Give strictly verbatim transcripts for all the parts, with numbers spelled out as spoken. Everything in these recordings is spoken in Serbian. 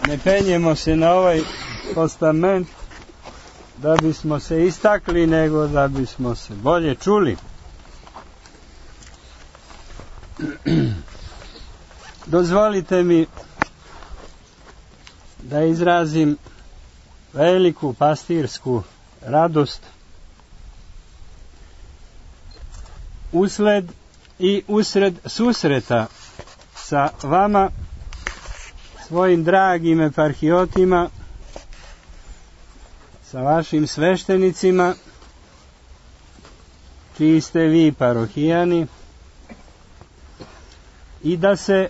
ne penjemo se na ovaj postament da bismo se istakli, nego da bismo se bolje čuli. Dozvolite mi da izrazim veliku pastirsku radost usled i usred susreta sa vama, svojim dragim eparhijotima, sa vašim sveštenicima, čiji ste vi parohijani, i da se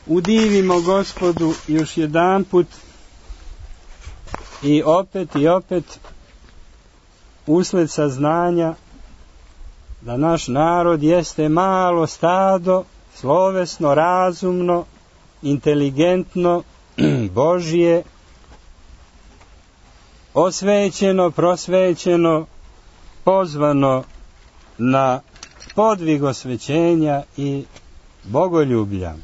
udivimo Gospodu još jedanput i opet i opet usled saznanja da naš narod jeste malo stado, slovesno, razumno, inteligentno, Božje, osvećeno, prosvećeno, pozvano na podvig osvećenja i bogoljublja.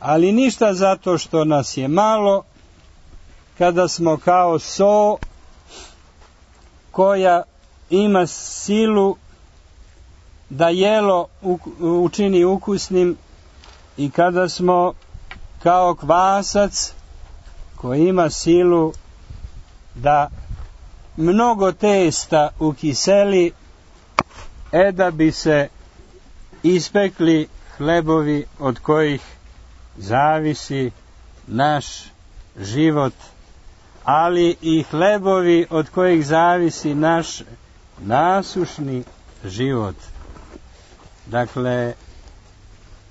Ali ništa zato što nas je malo, kada smo kao so koja ima silu da jelo učini ukusnim, i kada smo kao kvasac koji ima silu da mnogo testa ukiseli, e da bi se ispekli hlebovi od kojih zavisi naš život, ali i hlebovi od kojih zavisi naš nasušni život. Dakle,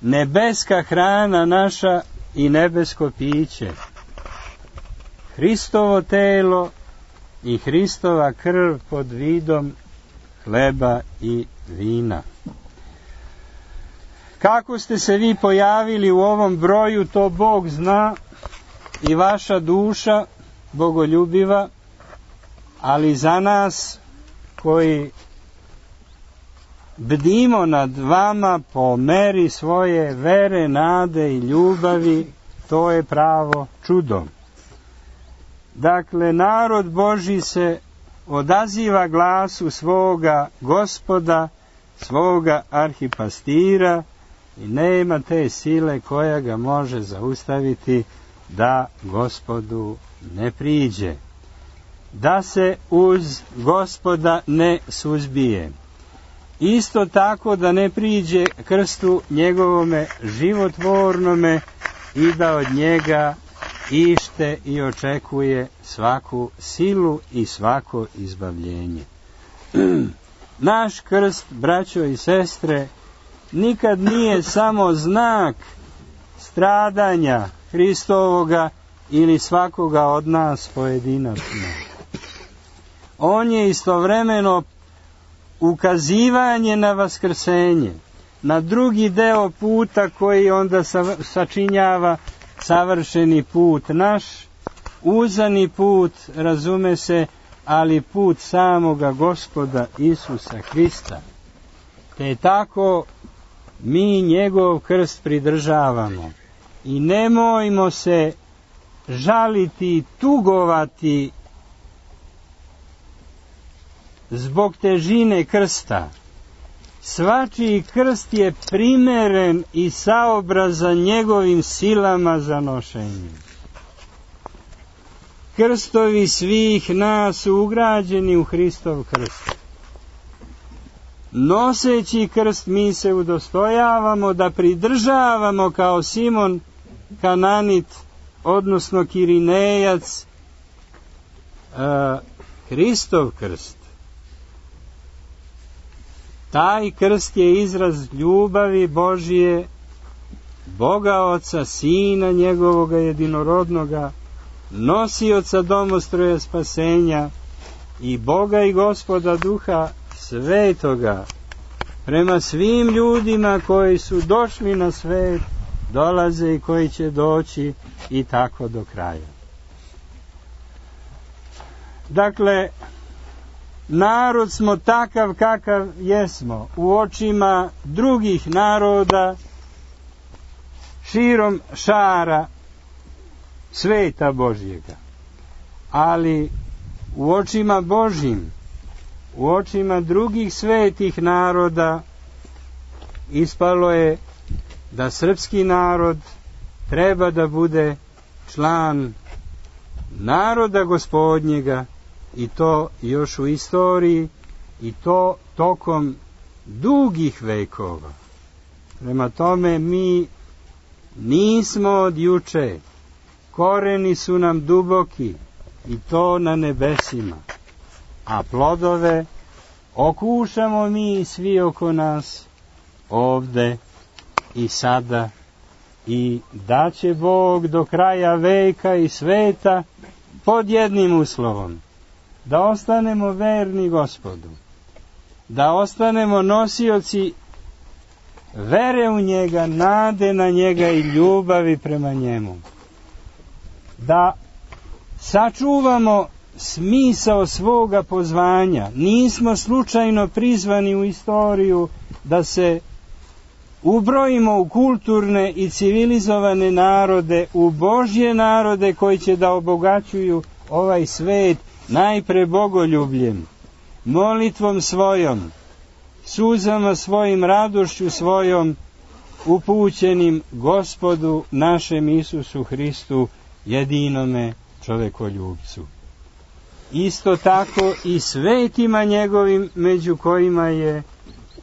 nebeska hrana naša i nebesko piće, Hristovo telo i Hristova krv pod vidom hleba i vina. Kako ste se vi pojavili u ovom broju, to Bog zna, i vaša duša bogoljubiva, ali za nas koji bdimo nad vama po meri svoje vere, nade i ljubavi, to je pravo čudo. Dakle, narod Božji se odaziva glasu svoga Gospoda, svoga arhipastira, i nema te sile koja ga može zaustaviti da Gospodu ne priđe, da se uz Gospoda ne suzbije. Isto tako da ne priđe krstu njegovome životvornome i da od njega ište i očekuje svaku silu i svako izbavljenje. Naš krst, braćo i sestre, nikad nije samo znak stradanja Hristovoga ili svakoga od nas pojedinačno. On je istovremeno ukazivanje na vaskrsenje, na drugi deo puta koji onda sačinjava savršeni put naš, uzani put, razume se, ali put samoga Gospoda Isusa Hrista. Te tako mi njegov krst pridržavamo i nemojmo se žaliti, tugovati zbog težine krsta. Svačiji krst je primeren i saobrazan njegovim silama za nošenje. Krstovi svih nas su ugrađeni u Hristov krst. Noseći krst mi se udostojavamo da pridržavamo kao Simon Kananit, odnosno Kirinejac, uh, Hristov krst. Taj krst je izraz ljubavi Božije, Boga Oca, Sina njegovoga jedinorodnoga, nosioca domostroja spasenja i Boga i Gospoda Duha Svetoga, prema svim ljudima koji su došli na svet, dolaze i koji će doći, i tako do kraja. Dakle, narod smo takav kakav jesmo u očima drugih naroda širom šara sveta Božjega. Ali u očima Božjim, u očima drugih svetih naroda, ispalo je da srpski narod treba da bude član naroda Gospodnjega, i to još u istoriji, i to tokom dugih vekova. Prema tome, mi nismo od juče, koreni su nam duboki, i to na nebesima, a plodove okušamo mi svi oko nas, ovde i sada, i da će Bog do kraja veka i sveta pod jednim uslovom: da ostanemo verni Gospodu, da ostanemo nosioci vere u njega, nade na njega i ljubavi prema njemu, da sačuvamo smisao svoga pozvanja. Nismo slučajno prizvani u istoriju da se ubrojimo u kulturne i civilizovane narode, u Božje narode koji će da obogaćuju ovaj svet najpre bogoljubljem, molitvom svojom, suzama svojim, radošću svojom, upućenim Gospodu našem Isusu Hristu, jedinome čovekoljubcu. Isto tako i svetima njegovim, među kojima je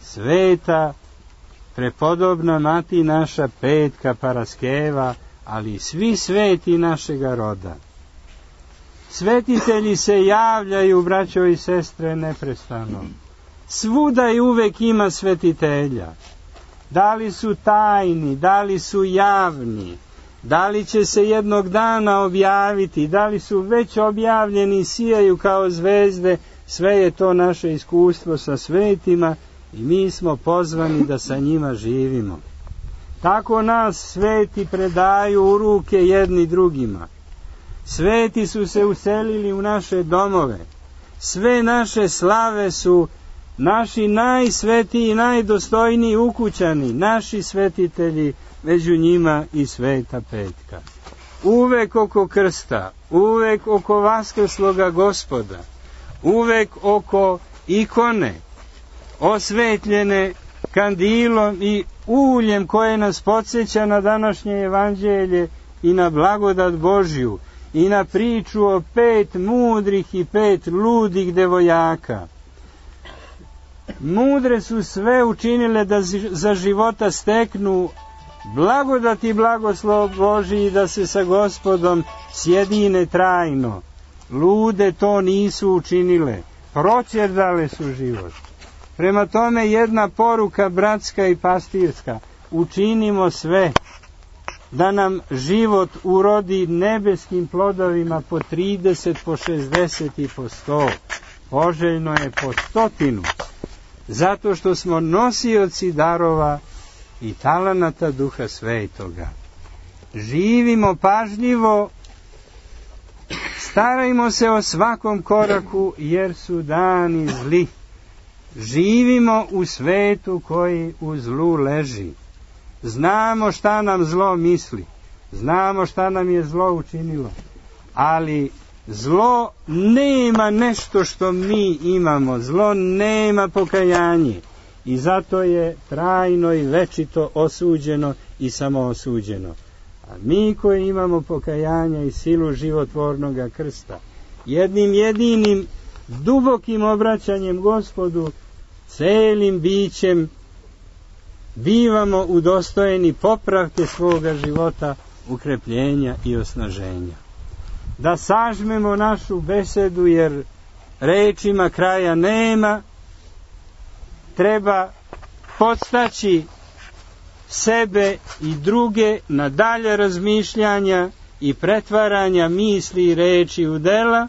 sveta prepodobna mati naša Petka Paraskeva, ali svi sveti našega roda. Svetitelji se javljaju, braćo i sestre, neprestano. Svuda i uvek ima svetitelja. Da li su tajni, da li su javni, da li će se jednog dana objaviti, da li su već objavljeni i sijaju kao zvezde, sve je to naše iskustvo sa svetima i mi smo pozvani da sa njima živimo. Tako nas sveti predaju u ruke jedni drugima. Sveti su se uselili u naše domove. Sve naše slave su naši najsvetiji i najdostojniji ukućani, naši svetitelji, među njima i Sveta Petka. Uvek oko krsta, uvek oko vaskrsloga Gospoda, uvek oko ikone, osvetljene kandilom i uljem koje nas podsjeća na današnje evanđelje i na blagodat Božju i na priču o pet mudrih i pet ludih devojaka. Mudre su sve učinile da za života steknu blagodat i blagoslov Božji i da se sa Gospodom sjedine trajno. Lude to nisu učinile, proćerdale su život. Prema tome, jedna poruka bratska i pastirska: učinimo sve da nam život urodi nebeskim plodovima po trideset, po šezdeset i po sto. Poželjno je po stotinu, zato što smo nosioci darova i talenata Duha Svetoga. Živimo pažljivo, starajmo se o svakom koraku, jer su dani zli. Živimo u svetu koji u zlu leži. Znamo šta nam zlo misli, znamo šta nam je zlo učinilo, ali zlo nema nešto što mi imamo, zlo nema pokajanje i zato je trajno i večito osuđeno i samoosuđeno. A mi koji imamo pokajanja i silu životvornoga krsta, jednim jedinim dubokim obraćanjem Gospodu, celim bićem bivamo udostojeni popravke svoga života, ukrepljenja i osnaženja. Da sažmemo našu besedu, jer rečima kraja nema. Treba podstaći sebe i druge na dalje razmišljanja i pretvaranja misli i reči u dela.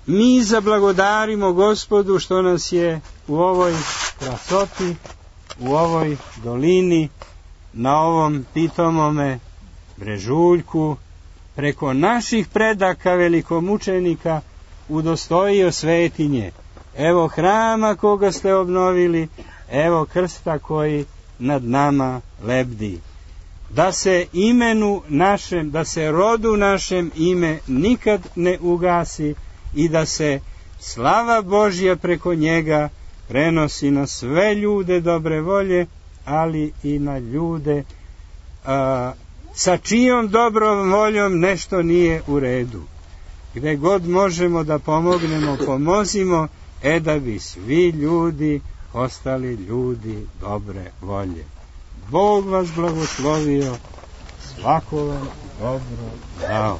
Mi zablagodarimo Gospodu što nas je u ovoj krasoti, u ovoj dolini, na ovom pitomome brežuljku, preko naših predaka velikomučenika udostojio svetinje. Evo hrama koga ste obnovili, evo krsta koji nad nama lebdi. da se imenu našem, da se rodu našem ime nikad ne ugasi i da se slava Božja preko njega prenosi na sve ljude dobre volje, ali i na ljude a, sa čijom dobrom voljom nešto nije u redu. Gde god možemo da pomognemo, pomozimo, e da bi svi ljudi ostali ljudi dobre volje. Bog vas blagoslovio, svako vam dobro dao.